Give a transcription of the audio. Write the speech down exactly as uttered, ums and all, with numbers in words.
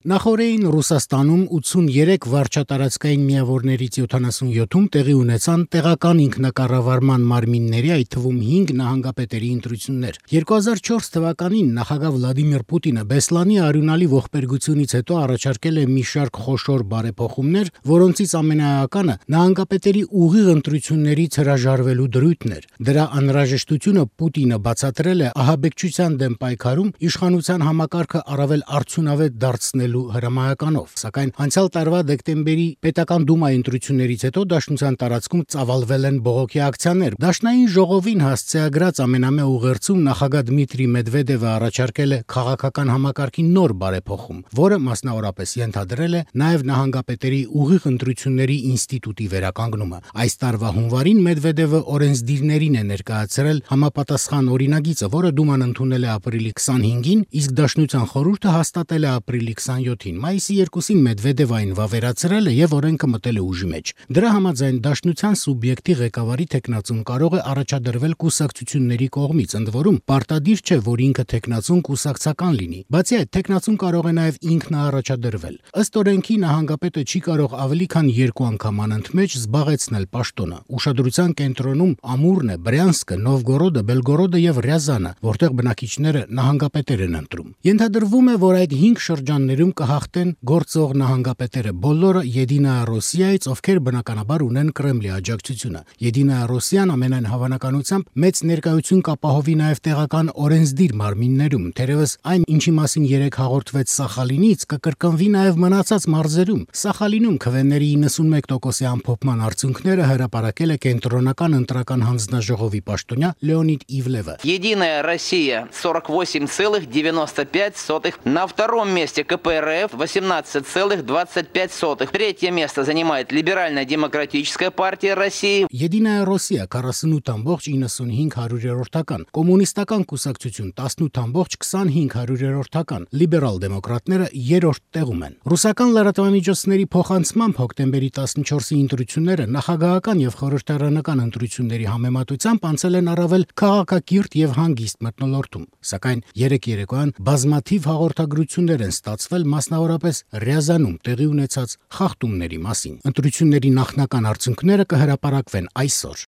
Նախորդին Ռուսաստանում ութսուններեք վարչատարածքային միավորներից յոթանասունյոթում տեղի ունեցան տեղական ինքնակառավարման մարմինների, այդ թվում հինգ նահանգապետերի ընտրություններ։ երկու հազար չորս թվականին նախագահ Վլադիմիր Պուտինը Բեսլանի արյունալի ողբերգությունից հետո առաջարկել է մի շարք խոշոր բարեփոխումներ, որոնցից ամենաէականը նահանգապետերի ուղիղ ընտրություններից հրաժարվելու դրույթն էր։ Դրա անհրաժեշտությունը Պուտինը բացատրել է ահաբեկչության դեմ պայքարում իշխանության համակարգը առավել արդյունավետ դարձնելու հրամայականով, սակայն անցյալ տարվա դեկտեմբերի պետական դումայի ընտրություններից հետո Դաշնության տարածքում ծավալվել են բողոքի ակցիաներ։ Դաշնային ժողովին հասցեագրած ամենամյա ուղերձում նախագահ Դմիտրի Մեդվեդևը առաջարկել է քաղաքական համակարգի նոր բարեփոխում, որը մասնավորապես ենթադրել է նաև նահանգապետերի ուղիղ ընտրությունների ինստիտուտի վերականգնումը։ Այս տարվա հունվարին Մեդվեդևը օրենսդիրներին է ներկայացրել համապատասխան օրինագիծը, որը դուման ընդունել է ապրիլի քսանհինգին, իսկ Դաշնության խորհուրդը հաստատել է ապրիլի քսանյոթին։ Մայիսի երկուսին Մեդվեդևը այն վավերացրել է եւ օրենքը մտել է ուժի մեջ։ Դրա համաձայն Դաշնության սուբյեկտի ղեկավարի թեկնածուն կարող է առաջադրվել կուսակցությունների կողմից, ընդ որում պարտադիր չէ, որ ինքը թեկնածուն կուսակցական լինի։ Բացի այդ, թեկնածուն կարող է նաև ինքն առաջադրվել։ Ըստ օրենքի նահանգապետը չի կարող ավելի քան երկու անգամ անընդմեջ զբաղեցնել պաշտոնը։ Ուշադրության կենտրոնում Ամուրն է, Բրյանսկը, Նովգորոդը, Բելգորոդը եւ Ռյազանը, որտեղ բնակիչները նահանգապետեր են ընտրում։ Ենթադրվում է, որ այդ հինգ շրջաններում կհաղթեն գործող նահանգապետերը, բոլորը Եդինայա Ռոսիայից, ովքեր բնականաբար ունեն Կրեմլի աջակցությունը։ Եդինայա Ռոսիան ամենայն հավանականությամբ մեծ ներկայություն կապահովի նաև տեղական օրենսդիր մարմիններում, թերևս այն, ինչի մասին երեք հաղորդվեց Սախալինից, կկրկնվի նաև մնացած մարզերում։ Սախալինում քվեների իննսունմեկ տոկոսի ամփոփման արդյունքները հրապարակել է կենտրոնական ընտրական հանձնաժողովի пաշտոնյա Леонид Ивлeva. Единая Россия сорок восемь целых девяносто пять сотых. На втором месте ка пэ эр эф восемнадцать целых двадцать пять сотых. Третье место занимает Либерально-демократическая партия России. Եդինայա Ռոսիա քառասունութ ամբողջ իննսունհինգ հարյուրերորդական, կոմունիստական կուսակցություն տասնութ ամբողջ քսանհինգ հարյուրերորդական, լիբերալ դեմոկրատները երրորդ տեղում են։ Ռուսական լրատվամիջոցների փոխանցմամբ հոկտեմբերի տասնչորսի ընտրությունները նախագահական եւ խորհրդարանական ընտրությունների համեմատությամբ անցել են առավել քաղաքակիրթ եւ հանգիստ մթնոլորտում, սակայն երեք երեկոյան բազմաթիվ հաղորդագրություններ են ստացվել մասնավորապես Ռյազանում տեղի ունեցած խախտումների մասին։ Ընտրությունների նախնական արդյունքները կհրապարակվեն այսօր։